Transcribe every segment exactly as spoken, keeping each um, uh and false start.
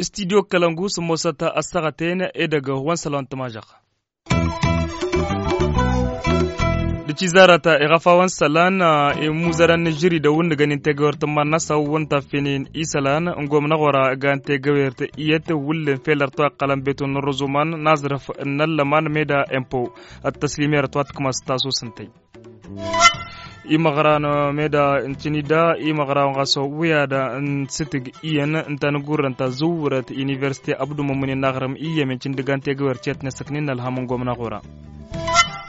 Studyo kălăngu s-ămoosăt ăssaɣăten edăgg wa n-isălan tămažăɣ. D-ticizarăt iɣăfawăn isălan imuzărăn n-ažžăridăw n-nǝgănin tegăwert n-iman-năsăn wăn taffinen isălan n-gomnăɣ ora gan tegăwert iyyăt wullen fel ărtăw iqqălăn betun n-ruzuman n-aẓrǝf n-ăllăman meda empo. Ăttăslimerăt wa t-kămăs tasusǝntăy imăɣran meda n-tinida imăɣran ɣas wiyad n-sǝtǝg iyyăn ǝnta n-gurrăn ta zǝwwărăt universite abdumămǝnin n-aɣrǝm iyyămen tindǝgan tegăwert i-ătnesăknen n-ălham n-gomnăɣ ora.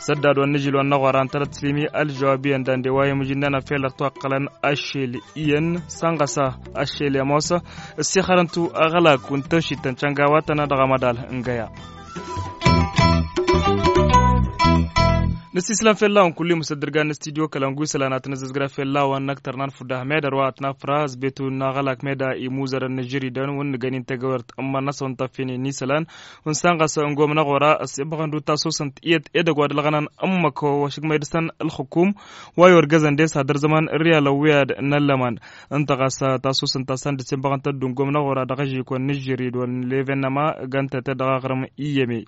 Săddad wa n-nǝžil wa n-năɣora ǝntălăt tǝslimi ălžăwab iyyăn dande wa i-mǝžǝnnăn afel ărtăw ăqqălăn ašel iyyăn sănɣăsa ašel i-ămoos. Ăssixărăn-tu aɣălak wa n-tăwšit tăn-căngawatăn dăɣ-amădal n-găya. Nǝssislan fell-a-wen kull-i mǝsăddǝrgan n-studyo kălăngu isălan ad-tăn-ăzzăzgra fell-a-wen n-ăktăr n-anfudda meda ărwa ad-tăn-afra ăzbetu n-aɣălak meda imuzărăn n-ažžăridăn wǝnnǝgăn-in tegăwert n-iman-năsăn tăffinen n-isălan. Wǝnsan ɣas n-gomnăɣ ora ăssebăɣăn-dd tasosăn tiyyăt edăgg wa d-ălɣănăn ǝmmăk wa šǝgmăy dăr-săn ǝlxǝkum wa i-orgăzăn dăr-s ad-ărzăman ǝrriyalăn wi ad-năllăman. Ǝnta ɣas tasosăn ta săn dd-sembăɣăn tăddu n-gomnăɣ ora dăɣ-ažikon n-ažžărid wa n-leven ăma gantăt dăɣ-aɣrǝm iyyăme.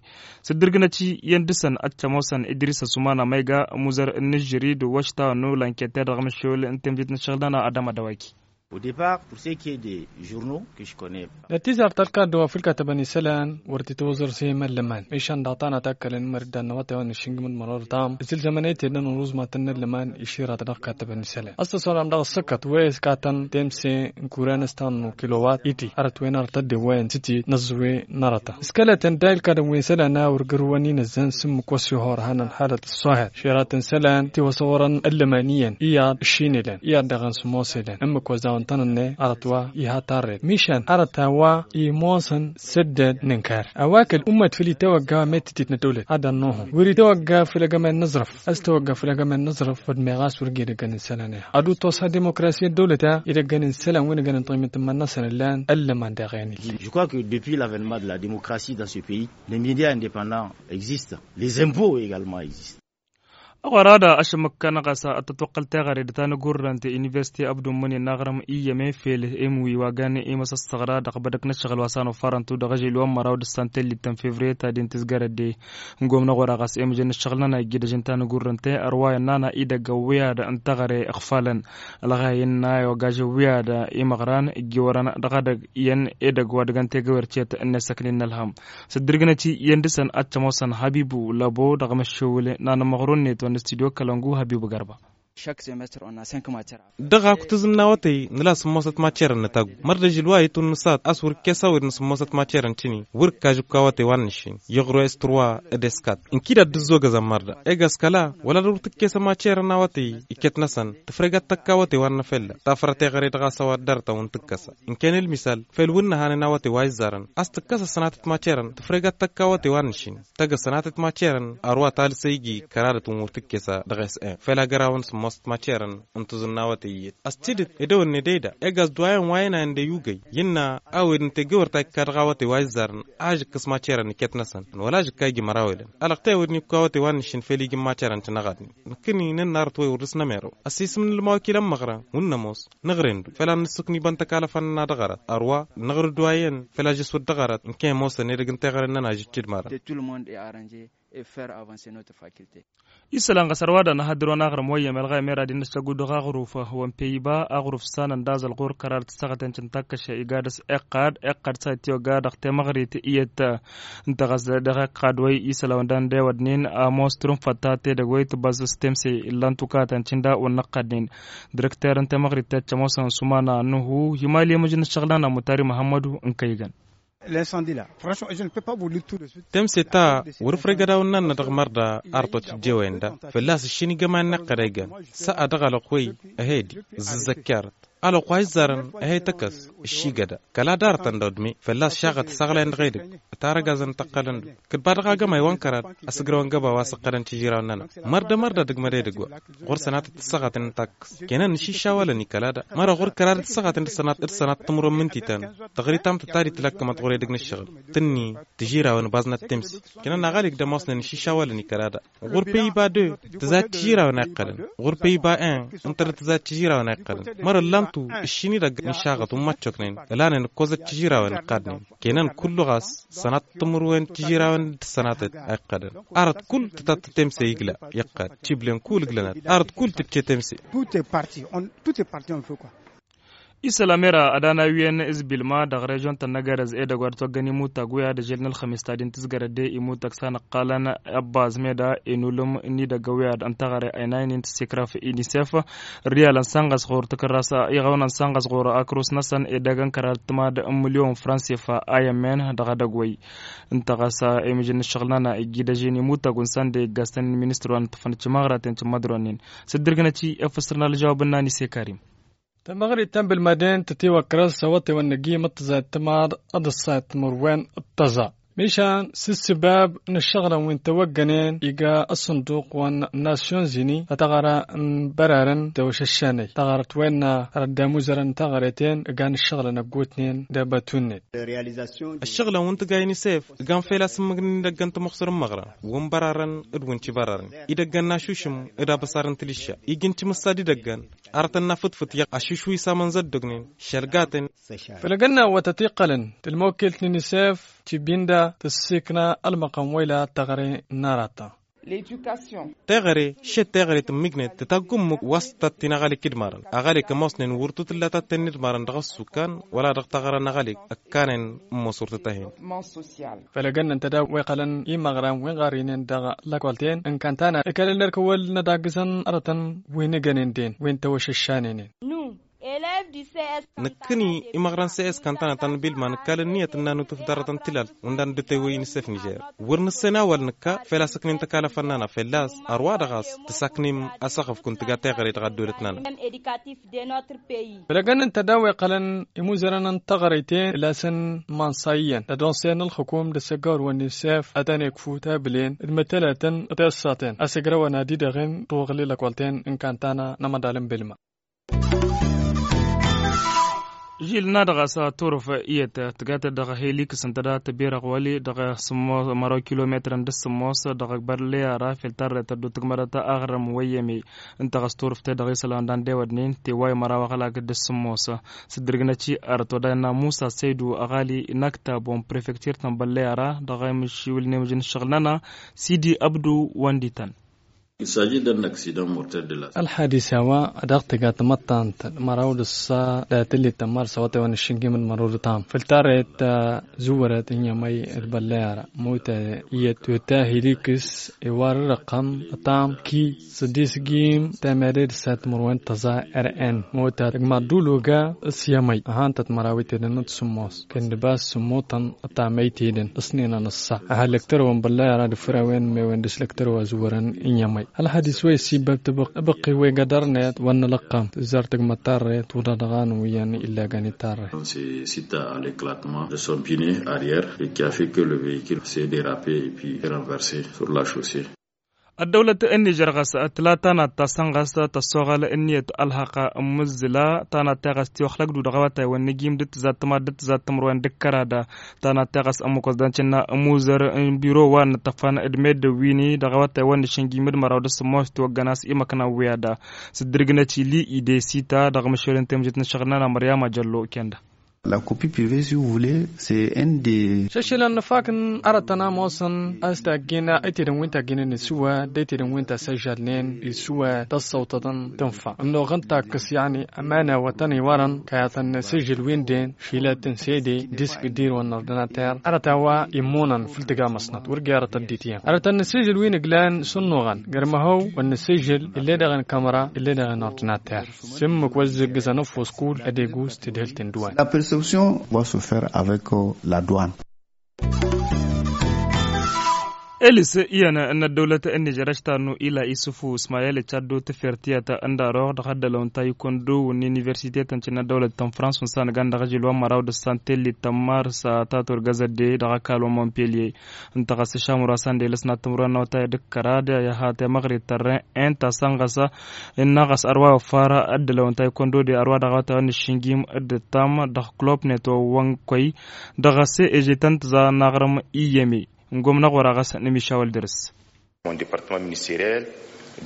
Sǝddǝrgǝnăt-i iyyăn dăr-săn ad-t-ămoosăn idris ăsumana ma iga ămuzăr n-ažžărid wa š-ta-ănnu lankete dăɣ-măššewăl n-temzit n-ăššăɣǝl-nănăɣ ad-ămădăwaki. Au depart pour ce qui est des journaux que je connais. Nătizar ta ălkaddu wa fǝlkatăbăn isălan wăr t-itwăẓrǝs i-imăllăman mišan daɣ tanăt akkălăn imăriddan n-awătay wa n-iššǝngǝm d-măror tam ǝzzǝlzămăn i-tedăn uruzmatăn n-ăllăman iširăt dăɣ-katăbăn isălan ăssăsoram dăɣ-ăssăkkăt wa iskatăn temse n-kuren s-tannu kilowat iti hărăt wen arăt ăddewăyăn tǝtit n-ăẓẓǝwe n-arăta s-kălătăn da ilkadăn wi n-isălan a wăr gărwăn inăzzăn s-ǝmmǝk wa s-ihor hanăn halăt ăṣṣoher širatăn isălan tiwăsăwărăn ăllăman iyyăn iyyăḍ ǝššin elăn iyyăḍ daɣ n-sǝmmos elăn ǝmmǝk wa s-dawăn tăn-ǝnnăy arăt wa iha tarret mišan arăt a-wa imosăn sădded n-ǝnkar a-wa kăl-ummăt făll-itawăgga wa met-titit n-ăddăwlăt ad-ănnuhǝm wăr-itawăgga făll-agămay n-aẓrǝf a-s tawăgga făll-agămay n-aẓrǝf wădden meɣas wăr ged ăggăn n-isălan iha ad-utosa dimokrasi ăddăwlăt a idăggăn n-isălan wi n-ăggăn n-tiɣmit n-iman-năsăn ǝllan ăllăman daɣ i-anǝlli. Je crois que depuis l'avènement de la démocratie dans ce pays les médias indépendants existent, les impôts également existent. Ăɣora da ašămmăk-kăn ɣas ad-tătwăqqăl teɣăre d-tanăgurrănt universite abdumman i-naɣrăm iyyăme fel emwi wa gan i-măsăssăɣra dăɣ-bădăk n-ăššăɣǝl wa s-anuffarăn-tu dăɣ-ažil wa n-măraw d-ǝssan tellit ta n-fevriye ta d-intǝzgărăt de n-gomnăɣ ora ɣas emǝjăn n-ǝššăɣǝl-nănăɣ iggǝdăžăn tanăgurrănt-te ărwa i-ănnană idăgg ăwwiyad n-teɣăre ǝxfalăn ălɣayăn n-ayogaj ăwwiyad imăɣran ǝjjǝwărăn dăɣ-edăgg iyyăn edăgg wa dăgg-ăntegăwert i-ănnăsăknen n-ălhăm. S-ǝddǝrgǝnăt-i iyyăn dăr-săn ad-t-ămoosăn habibu lăbo dăɣ-imăššewǝl n-anămăɣru-net wa n-studyo kălăngu habibu gărba. Dăɣ-akutǝzǝn n-awătay nǝla sǝmmosăt macerăn n-taggu măr d-ažǝl wa itwǝnnǝsat a-s wăr-ǝkkes a-wen nǝsǝmmosăt macerăn tǝni wăr-ǝkka ažǝkku awătay wa n-nǝššin iɣru s-turwa d-eskat ǝnkǝy d-ad-dd-ǝzzogăzăn măr da egas kăla wăla dăr-wăr tǝkkesăn macerăn n-awătay iket-năsăn tǝfreg ad-tăkk awătay wa n-năfella tafărăt eɣăre dăɣ-a-s a-wa dd-arătăn wǝn tǝkkăsa. Ǝnken ălmisal fel wǝnnăhan n-awătay wa izzarăn a-s tǝkkăs ăssănatăt macerăn tǝfreg ad-tăkk awătay wa n-nǝššin tăgg ăssănatăt macerăn ărwa talǝs a iji kăradăt wǝn wăr tǝkkes a dăɣ-s-en fel agărawăn sǝmmosăt macerăn n-tǝẓǝn n-awătay iyyăt. A-s tidǝt edăwănne dăyda egas d-wa iyyăn wa ăynayăn d-eyyugăy innă a-wen n-tegewărt a ikka dăɣ-awătay wa izzarăn a ăžǝkkǝs macerăn iket-năsăn wăla ăžǝkka iji mărawelăn. Alăɣtăy a-wen n-ikku awătay wa n-nǝššin fel iji n-macerăn tinăɣadnen nǝkkǝni nǝnna arăt wa i-wăr dăr-s-nămărew ăssiisǝm n-ălmawăkil ămmăɣra wǝnn' ămoos nǝɣrǝy-dd făll-ad-nǝssǝkni băntăkalăfăn-nănăɣ dăɣ-arăt ărwa nǝɣrǝy dd wa iyyăn făll-ad-žăswăt dăɣ-arăt ǝnke ămoosăn edăgg n-teɣăre-nănăɣ a žǝččǝd mărăn. Isălan ɣas ărwa da n-ahăddǝr wa n-aɣrǝm wa iyyăm elɣayăm era d-innă s-agudǝɣ aɣruf wa n-peyba aɣruf s-anăn d-aẓăl ɣur-kărar d-tăssaɣăten cǝntakkăše iga dăr-s iqqad iqqad s-a ittiwăgga dăɣ-temăɣrit iyyăt. Ǝnta ɣas dăɣ-iqqad wa isălan wa n-dăndewădnen ămoos trǝnfăt ta tedăgg wa itbăẓ s-temse illan tukatăn cǝnda wa n-năqqadnen. Dirăkter n-temăɣrit ta cămoosăn sumana nuhu himal i-măjăn ǝššăɣǝl-nănăɣ mutari muhămmădu n-kăygăn. Temse ta wăr-ǝfrăy gădawăn-nănăɣ dăɣ-mărda arăt wa t-dd-ewăyăn da fălla-s ǝššin igămay n-iqqăd a igăn s-a dăɣ-alăɣ wa i-ehedi ǝzzǝzzăkkerăt. ălwăqq wa izzarăn. Ehe tăkkăs ǝššigăda kăla darătăn dăɣ-dme fălla-s šaɣăt s-aɣlayăn dăɣ-edăgg. Tarăgazăn tăqqălăn-dd kăt-ba dăɣ-agămay wa n-kăraḍ. Ăsǝgrăwăn găba wa s-ǝqqălăn tižirawen-nănăɣ. Mărda mărda dăgg-măd edăgg wa ɣur-sănatăt tǝssăɣaten n-takkăs kănăn n-išǝššawălăn i-kăla-da. Mărăɣ ɣur-kăraḍ tǝssăɣaten d-sănatăt tǝmrǝwăn mǝntităn. Tăɣrit ta mǝtăt ta d-itlăkkămăt ɣur-edăgg n-ǝššăɣǝl tǝnni tižirawen baẓnăt temse. Kănăn aɣalik d-ămoosnen n-išǝššawălăn i-kăla-da. Ɣur-păyba deu tǝzad tižirawen a iqqălăn. Ɣur-păyba en ǝnta dăɣ-tǝzad tižirawen a iqqălăn. Mărăllan-tu ǝššin-i-dăgg n-išaɣăt wǝmmăccoknen ǝlanen ǝkkozăt tižirawen ǝqqadnen. Kănăn kullu ɣas sănat timǝrwen tižirawen d-sănatăt a iqqălăn. Arăt kull tǝtat temse igla iqqăd. Tiblen kull iglănăt arăt kull tǝcce temse. Isălam era ad-anawiyăn izbilma dăɣ-režion-tăn n-agărăz edăgg wa d-toggăn imutag wi ad-ažel n-ălxămis ta din tǝzgărăt de imutag s-anăqqalăn ăbbaz meda inulǝm n-idăgg wi ad-ăntăɣăre ăynaynen tǝssekraf inisef. Riyalăn sanɣăs ɣur-tǝkărras iɣăwăn sanɣăs ɣur-akrus-năsăn edăgg n-kăraḍ tǝmad n-milyon fransifa a i-ămmen dăɣ-edăgg wăy. Ǝnta ɣas emǝžǝn n-ǝššăɣǝl-nănăɣ ijjidăžen imutag wa n-sănde iggassăn n-ministru wa n-tǝfănăt cimăɣraten cǝmmădronen. S-dd-irgǝnăt i-efăsrăn alăžawab n-nani sekarim. Tamăɣrit ta n-bilmaden tătiwăkrăs awătewăn n-ăgg-i măttăẓayăt tǝmad d-ăṣṣayăt timǝrwen d-tăẓa. Mišan s-ǝssǝbab n-ǝššăɣǝlăn wi n-tawăggănen iga ăṣṣănduq wa n-nasyon zini a taɣăra n-bărarăn tewăšăššanăy taɣărăt wa innă rădd amuzărăn n-taɣăreten ǝgan ǝššăɣǝlăn ăggootnen d-ebătunnen. Ăššăɣǝlăn wi n-tǝga inisef ǝgan fel a-s ǝmmǝgnen idăgg n-tămuxsăr n-imăɣrăn wi n-bărarăn d-wi n-tibărarăn idăgg n-ašušǝm d-abăsar n-tilišša iji n-timǝssa d-idăgg n-arătăn n-afǝtfǝt i-ašušwi s-amănzăddăgnen šălgatăn. Făll-egănna wa tătiqqălăn tǝlmăwkilt n-inisef tibinda tǝssikna ălmăqqăm wa ila tăɣre n-arata. Teɣăre šed teɣăre tǝmmǝjnet tǝtagg ǝmmǝk wa s-tăt-tin aɣalik idmarăn aɣalik ămoosnen wăr tutǝlla tatten n-idmarăn dăɣ-ăssukkan wăla dăɣ-taɣăra n-aɣalik ǝkkanen. Ămoos wăr tǝtăhen. Făll-egănnăn tădaw wa iqqălăn imăɣran wi n-ɣarrinen dăɣ-lăkolten n-kantana ǝkălăn lerk ăwwăl n-ad-aggǝzăn arătăn wi n-igănen den wi n-tawăšăššanenen. Nǝkkǝni imăɣran s-e-s kantana ta n-bilma nǝkkal ǝnniyăt n-nanutǝf dăr-arătăn tilalt wǝndan dd-tewăy n-isef nižer wăr nǝssen a-wăl nǝkka fel a-s ǝknen tăkalăfăn-nănăɣ fălla-s ărwa dăɣ-a-s tǝsaknem asăɣăf kunta tǝga teɣăre dăɣ-ăddolăt-nănăɣ. Făll-egănnăn tădaw wa iqqălăn imuzărăn n-taɣărăyten lasăn imansa iyyăn d-ad-onsen ălxǝkum d-asăggawăr wa n-isef ad-tăn-ikfu tabǝlen d-mătălătăn d-tiṣṣaten a-s ǝgrăwăn ad-idăɣen tuɣǝli lăkolten n-kantana n-amăḍal n-bilma. Žil n-ad-ɣas turǝf iyyăt tǝgatăt dăɣ-heliks ǝnta da tăbirăɣ wăli dăɣ-măraw kilometrăn d-sǝmmos dăɣ-bălleyara fel tarret ăddu tǝgmădăt aɣrǝm wăyyăme. Ǝnta ɣas turǝf-te dăɣ-isălan dan d-ewădnen teway măraw ăɣlak d-sǝmmos. S-dd-irgǝnăt i-arăt wa dăɣ-innă musa săydu ăɣali n-aktab wa n-prefektir ta n-bălleyara dăɣ-emǝššiwǝl n-emǝžǝn ǝššăɣǝl-nănăɣ sidi ăbdu wăndităn. Ălḥadis a-wa dăɣ-tǝga tamăttant măraw d-ăṣṣa d-atǝllit tămmarsa wătewăn ǝššǝnjim d-măraw d-ăṭṭam făll-tarret ta zǝwărăt n-iyyămăy d-băllăy ara mota iyyăt tutta hiliks iwar ărăqqăm ăṭṭam ki sădis gim tamare d-ăṣṣa timǝrwen tăẓa. Rn mota tăgmaḍ d-ologa s-iyyămăy ăhantăt măraw itedăn d-sǝmmos kănnǝba s-sǝmmotăn ăṭṭam ăytedăn ăṣnenăn ăṣṣa. Aha lăktărăwăn băllăy ara d-fărawen mewen dăɣ-s lăktărăw azǝwărăn n-iyyămăy. Ălhadis wa isibbăb tibăqqi wa iga dăr-net wa n-nălăqqăm tǝzzar tǝgmăt tarret tuḍa dăɣ-anǝw iyyăn illăgăn i-tarret. Sita a l'éclatement de son pine arrière et qui a fait que le véhicule s'est dérapé et puis renversé sur la chaussée. Ăddăwlăt n-nižer ɣas tǝla tanat ta săn ɣas tăssoɣăl ǝnniyăt ălhăqq ǝmmǝzzǝla tanat ta ɣas tiwăxlăgdu dăɣ-awătay wa n-nǝjim d-tǝzat tǝmad d-tǝzat tǝmrăwen d-kăraḍa. Tanat ta ɣas ămmukăs dăncǝnna ămuzăr n-biro wa n-nǝtăfan d-meddǝn wi-ni dăɣ-awătay wa n-nǝšǝnjim d-măraw d-sǝmmos tiwăggăn a-s imăkna n-wi-ad-a s-dd-irgǝnăt ili idesita dăɣ-măšel n-temjǝt n-ašăɣǝl n-ana măryama jăllo kenda. La copie privée si vous voulez c'est un des. Šăššălăn nǝfak n-arătăn a ămoosăn a-s taggena ăytedăn wi n-taggena n-isǝwwad d-ăytedăn wi n-tasăžžalnen isǝwwad tăssăwtătăn tǝnfa ănnuɣ n-takkăs yăعني. Ămăna wa tăn-iwărăn kăyatăn n-asǝžžǝl wi n-den šilăt n-sede disk d-ir wa n-ordinater arăt a-wa immunăn făll-tǝga măsnăt wăr ija arăt ăddit iyyăn arătăn n-asǝžžǝl wi n-ǝglan s-ănnuɣăn gărmăhăw wa n-asǝžžǝl ill'-e dăɣ-e n-kamra ill'-e dăɣ-e n-ordinater. S-ǝmmǝk wa ǝzzǝggǝzăn ăfuss kull ad-egus tadhǝlt n-duwan. La perception va se faire avec la douane. Elis iyyăn n-ăddăwlăt n-nižer ăštarnu ila isufu ismayel icaddut tifert tiyyăt n-daroɣ dăɣ-ăddălăw n-taykundu n-universitetăn cǝnna ăddăwlăt n-frans wǝnsan găn dăɣ-ažil wa n-măraw d-ăssan tellit tămmar s-a tatur găzădde dăɣ-ăkall wa n-mompelye. Ǝnta ɣas išamur wa s-ăndel s-nattămru wa n-awătay d-ǝkkăra d-iha temăɣrit tărren enta săn ɣas innă ɣas ărwa i-ofar ăddălăw n-taykundu d-ărwa dăɣ-awătay wa n-iššǝnjim d-ǝttam dăɣ-klopnet wa n-kăy dăɣ-s ežităn tǝza n-aɣrǝm iyyăme. N-gomnăɣ wăr-a ɣas n-emišawăl dăr-s. Mon departement ministerel.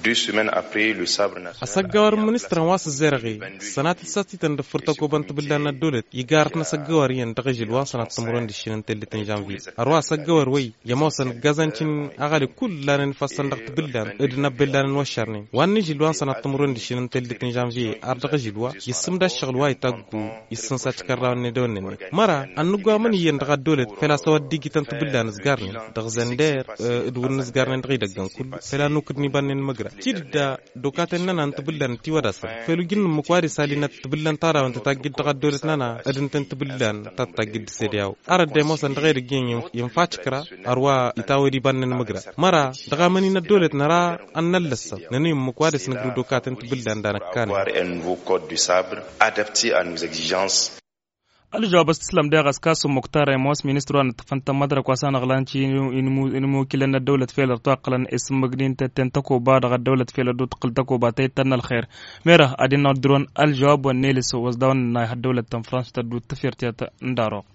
Deux semaines après le sabre national. Asăggăwăr n-ministrăn wa s-ǝzzerăɣ-i sănatăt s-a t-ităn d-ǝffǝr tăkobăn tibǝllan n-ăddăwlăt igarăt n-asăggăwăr iyyăn dăɣ-ažǝl wa n-sănat timǝrwen d-ǝššǝnăn tellet n-žănvye. Ărwa asăggăwăr wăy i-ămoosăn ǝggazăn cin aɣăli kull lanăn ifassăn dăɣ-tibǝllan d-inăbbellan n-wăššărnen wa n-ažǝl wa n-sănat timǝrwen d-ǝššǝnăn tellet n-žănvye ar dăɣ-ažǝl wa i-ǝssǝmda ǝššăɣǝl wa itaggu. Issǝnsa tikărrawăn n-edăwănnen măra ănnăggu amǝnǝyyăn dăɣ-ăddolăt făl-a-s a-wa dd-igităn tibǝllan ǝzgarnen dăɣ-zănder d-wǝnnǝzgarnen dăɣ-idăggăn kullu făl-a-nukǝdni bannen măgra. Tidǝdda dokaten-năna n-tibǝllan ătiwădasăn făl ujǝnnǝmmǝk wa d-isalinăt tibǝllan tarawăn tǝtaggǝd dăɣ-ăddolăt-năna. D-ǝnta n-tibǝllan ta tǝtaggǝd d-sediyaw arăt d-ămoosăn dăɣ-edăgg iyyăn i-infa tikra. Ărwa itawăd ibannen măgra măra dăɣ-amăni n-ăddolăt năra ănnăllăssăt nănăyǝmmǝk wa dăɣ-s nǝgrǝw dokaten tibǝllan danăkkanen. Avoir un nouveau code du sabre adapté à nos exigences. Ălžăwab a-s tǝslăm deɣ a-s kasum muktar ămoos ministru wa n-ǝṭṭǝfăn tămmădrăk wa s-anăɣlan n-imukilăn n-ăddăwlăt fel ărtoqqălăn isǝmmǝgnin tetten tăkoba dăɣ-ăddăwlăt fel ăddu tǝqqǝl tăkoba ta ittăn n-ălxer. Mera ad-innă ăddurăn ălžăwab wa n-elis ozdawăn n-ayha ăddăwlăt ta n-frans tăddu tǝfirtiyăt n-daroɣ.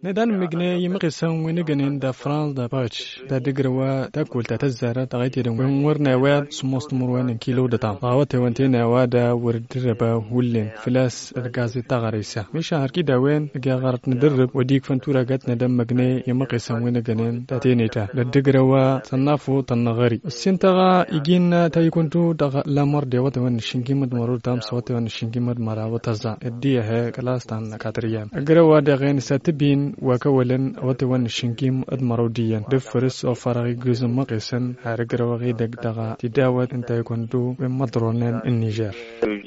Ned anǝmmǝgne imăqesăn wi n-egănen da frans da păɣăt da dăgrăwa takkol ta tăzzarăt dăɣ-itedăn wi n-wăr n-awyad sǝmmos timǝrwen n-kilo d-ătam dăɣ-awătewăn tenăwa da wăr dd-răba hullen făl-a-s ărgazet taɣăre-sa mišan hărkid a-wen ăgg-i aɣărăt nǝdărrǝb wăr dd-ikfăn turagăt ned anǝmmǝgne imăqesăn wi n-egănen da teneta d-ăddăgrăwa tănnafo tănnăɣări ǝssin-tăɣ iji n-tayǝkuntu dăɣ-lamăr d-ewătewăn n-ašǝnjim d-mărăw d-tamsa ewătewăn n-ašǝnjim d-măraw d-tăẓẓa ăddiih kălas ta n-katriyăm ăgrăw wa dăɣ-en s-ad-t-bin wa kăwălăn awătewăn n-ašǝnjim d-mărăw d-iyyăn d-ǝffǝrǝs ofărăɣ iggǝz n-imăqesăn har ǝgrăwăɣ edăgg dăɣ-tidawăt ǝnta ikăndu wi n-imăḍronen n-nižer.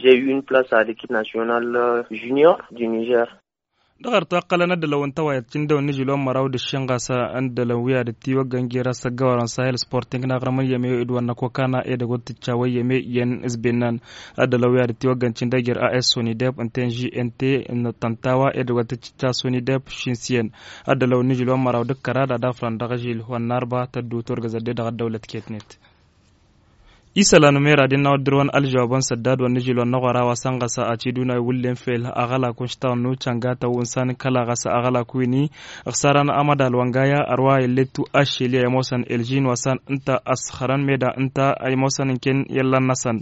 J'ai eu une place à l'équipe nationale junior du niger. Dăɣ-ărtoqqălăn ăddălăw n-tawayăt cǝndăw n-ižil wa n-măraw d-ǝššin ɣas ăndălăn wi ad-dd-tiwăggăn jer-asăggăwărăn sahil sporting n-aɣrǝm n-iyyăme d-wăr năkokana edăgg wăr tǝccawăn iyyăme iyyăn s-bennan. Ăddălăn wi ad-dd-tiwăggăn cǝndăy jer-a s soni deb ǝnta n-ži ǝnta n-tăntawa edăgg wăr tǝccǝcca soni deb šin s-iyyăn. Ăddălăn wa n-ižil wa n-măraw d-ǝkkăra d-ad-afrăn dăɣ-ažil wa n-narba tăddu turgăzăt de dăɣ-ăddăwlăt ketnet. Isălan umera d-innă wa dd-dăr-wăn ălžăwabăn săddad wa n-ižil wa n-năɣora wa săn ɣas ad-t-idunay wullen fel aɣălak wa n-ištăɣnu cănga tăwwǝnsan kăla ɣas aɣălak wini. Ǝxsarăn amădal wa n-gaya ărwa illet-tu aššel i-ămoosăn elžin wa săn ǝnta ăssăxrăn meda ǝnta ămoosăn ǝnken i-ăllan-năsăn.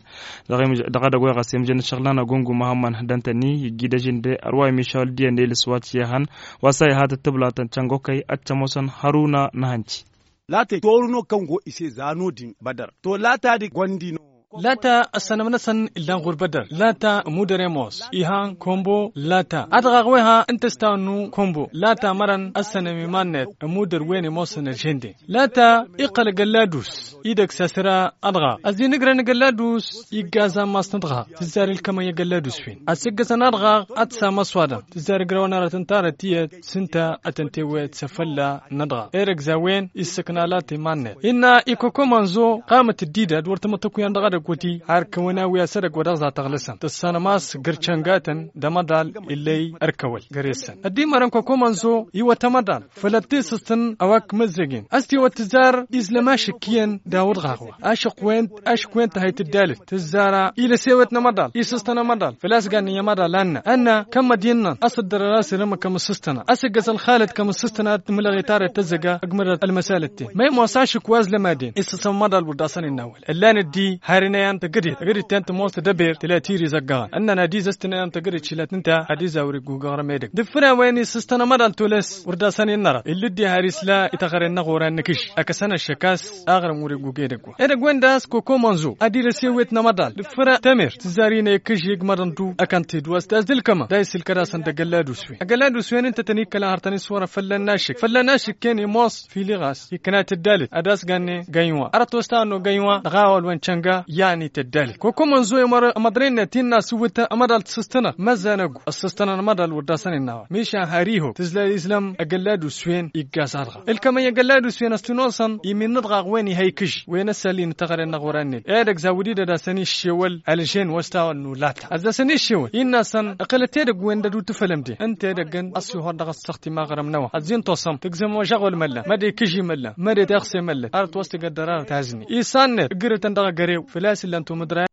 Dăɣ-edăgg wa ɣas i-ămjăn ǝššăɣǝl-nănăɣ gungu muhămmăn d-ăntănni iggi d-ažin de ărwa imišawăl d-iyyăn elǝs wa cihăn wa s-a iha tǝttǝblatăn cănga okăy ad-t-ămoosăn hăruna n-ahănci. Lata i torǝno kăngo ise zano din bădăr to lata d-gondi no. Lata ăssănăm-năsăn illan ɣur-bădăr lata ămudăr i-ămoos ihan kombo lata ad-dăɣ-aɣ wa iha ǝnta s-tawănnu kombo lata mărăn ăssănăm iman-net ămudăr wen i-ămoosăn ălženden lata iqqăl agălladus. Idăgg s-asǝra ad-dăɣ-aɣ ăzinǝgrăn agălladus iggaz ammas n-ad-dăɣ-aɣ tǝzzar ilkămăn i-agălladus-wen ad-sǝggăsăn ad-dăɣ-aɣ ad-t-sam ăswadăm tǝzzar igrăwăn arăt ǝnta arăt iyyăt s-ǝnta ad-tăn-tewăyăt s-afălla n-ad-dăɣ-aɣ. Erăgza a-wen issǝkna lata iman-net innă ikokomanzo qamăt dd-idad wăr tămăttăkuyan dăɣ-edăgg wăti har kăwăn-awi a-s edăgg wa dăɣ-za tăɣlăsăm tǝssanăm a-s găr-căngatăn d-amăḍal. Illăy ărkăwăl găr-esăn ăddimărăn kokomanzo iwăt amăḍal făll-ad-t-isǝstǝn a-wa k-măzzăgen a-s t-iwăt tǝzzar izlăm ašǝk iyyăn d-awǝḍɣaɣ wa ašǝk wen ašǝk wen tăhăy tǝddalǝt tǝzzar a ilăs ewet n-amăḍal isǝstăn amăḍal făl-a-s gannen i-amăḍal annă annă kămmădinnăn a-s ǝddărăr a-s irǝmǝk kămǝssǝstăna a-s ǝggăsăn xalăt kămǝssǝstăna ad-t-mǝlăɣ itarăt tăzzăga ăgmărăt ălmăsalăt-ten ma imoos ašǝk wa ăzlămaden isǝsăm amăḍal wăr d-asăn innawăl ǝllan ăddi har inăy ăntăgădet tăgădet-ten tămoos tădăber tǝla tiri zăggăɣăn ǝnnăn ad-izăstăn inăy ăntăgădet šilăt ǝnta ad-izawăr igugăɣrăm edăgg d-ǝffǝra wa-en isǝstăn amăḍal tolăs wăr d-asăn innărăt illăddi har isla i-taɣăre-năɣ oran n-akǝžš akăsăn ăššăk a-s aɣrǝm wăr-igug edăgg wa edăgg-wen daɣ s-kokomanzo ad-ilăs ewet n-amăḍal d-ǝffǝra tămert tǝzzar-i n-ekǝžžeg măḍăn du ăkăn tedwa s-tazǝlkămăn da isǝlkăd-asăn d-agălladus-wen agălladus-wen ǝnta tăn-ikkălăn har tăn-iswărăn fălla n-ašǝk fălla n-ašǝk-en imoos filiɣas ikna tǝddalǝt ad-asgannen gănywa arăt wa s-tawănnu gănywa dăɣ-awăl wa n-cănga. Ani tăddalăt kokom ănẓu i-măḍre-net innă asǝwwǝt ămăḍal tǝssǝstănăt măzzan ăggu ăssǝstănăt ămăḍal wăr dd-asăn innă a wa mišan har ihok tǝzla izlăm agăllad uswen igg a-s-adɣa ǝlkămăy agăllad uswen ăstănosăn imin n-adɣaɣ wen iha ikǝžž wen ăssălin tăɣăre-năɣ wăr-anned edăgg zawǝd-i d-ad-asăn iššewăl ălžen wăstawăn n-ulata ad-asăn iššewăl innă-săn ǝqǝlăt edăgg wen dăd-utǝfălăm de ǝnta edăgg ănn ăssihor dăɣ-ăssăɣt imaɣrăm n-a-wa ăzzin tossăm tǝgzăm wa žăɣwăl măllan măd ikǝžži măllan măd ete ăɣse măllan ar ătwăs tǝgăddăr arăt azni isan-net ǝggǝrǝtăn dăɣ-agărew făl-a-s ǝllan tumǝdra.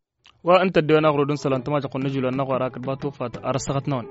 Wa ǝnta ăddewăn aɣrud n-isălan tămajăɣt n-ijulăn n-aɣwar hakd batufa. Ar ăssăɣăt-năwăn.